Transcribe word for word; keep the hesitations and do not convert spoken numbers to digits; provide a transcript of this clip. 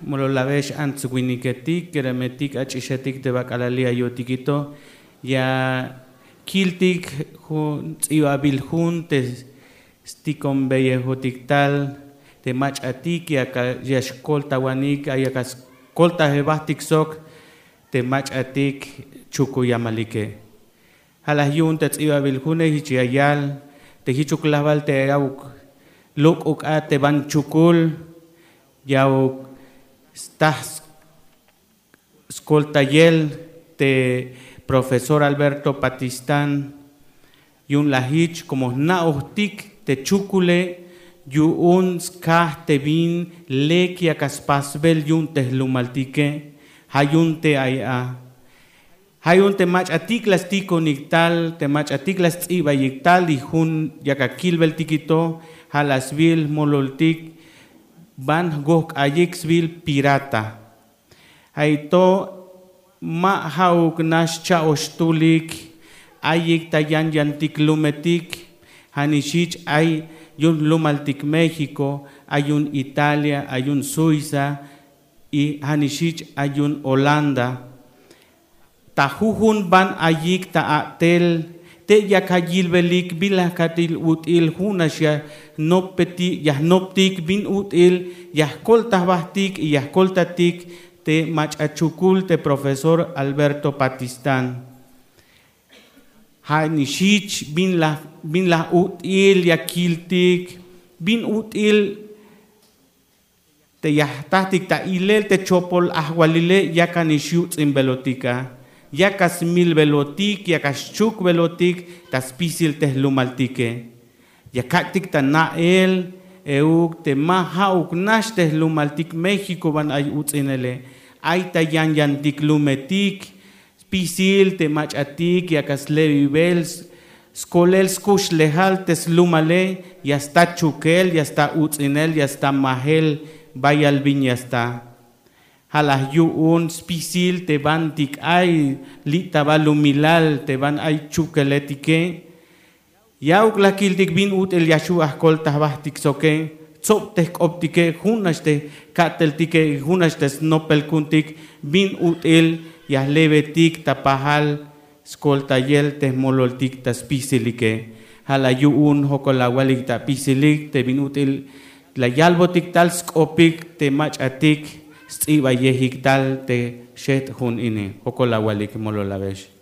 Mololabex ants winiketik keremetik ach'ixetik te bak'alali ayotikito. Ya kiltik jun ts'ibabil jun te stikonbeyejotik tal te mach'atik ya xkoltawanik ay aka skoltajebajtik sok te mach'atik chukuyamalike. Ja' laj yu'un te ts'ibabil june jich ya yal te jichuk lajbal te awuk lok'uk a te ban chukul, ya awuk staj skoltayel te profesor Alberto Patistán. Yu'un laj jich komo jna'ojtik te chukule yu'un skaj te bin lek yak a spasbel yu'un te jlumaltike. Ja' yu'un te ay a ja' yu'un te mach'atik la stikonik tal te mach'atik la sts'ibayik tal y jun yak akilbeltikito. Ja' la sbil jmololtik ban jgojk'ayik sbil pirata. Ja' ito ma ja'uk nax cha'ox tulik ayik ta yan yantik lumetik. Ja' nix jich ay yu'un jlumaltik México, ay yu'un Italia, ay yu'un Suiza, y ja' nix jich ay yu'un Holanda. Ta jujun ban ayik ta a'tel te yak ayilbelik bin laj katil ut'il jun nax ya jnoptik bin ut'il ya jkolta jbajtik y ya jkoltatik te mach'a chukul te profesor Alberto Patistán. Ja' nix jich bin laj ya kiltik bin ut'il te ya jtajtik ta ilel te chopol ajwalile yak a nix yuts'inbelotik a, yak a smilbelotik yak a xchukbelotik ta spisil te jlumaltike. Ya kak'tik ta na'el euk te ma ja'uk nax te jlumaltik México ban ay uts'inele. Ay ta yan yantik lumetik spisil te mach'atik yak a slebibel skolel skuxlejal te slumale ya sta chukel ya sta uts'inel ya sta majel bayal bin ya sta. Ja' laj yu'un spisil te bantik ay li' ta ba lumilal te ban ay chukeletike. Ya'uk la kiltik bin ut'il ya xju' ajkolta jbajtik soke tsob te jk'optike jun nax te ka'teltike jun nax te snopel ku'untik bin ut'il ya jlebetik ta pajal skoltayel te jmololtik ta spisilike. Ja' la yu'un jokol awalik ta apisilik te bin ut'il la yalbotik tal sk'opik te mach'atik sts'ibayejik tal te xeht' jun ini. Jokol awalik mololabex.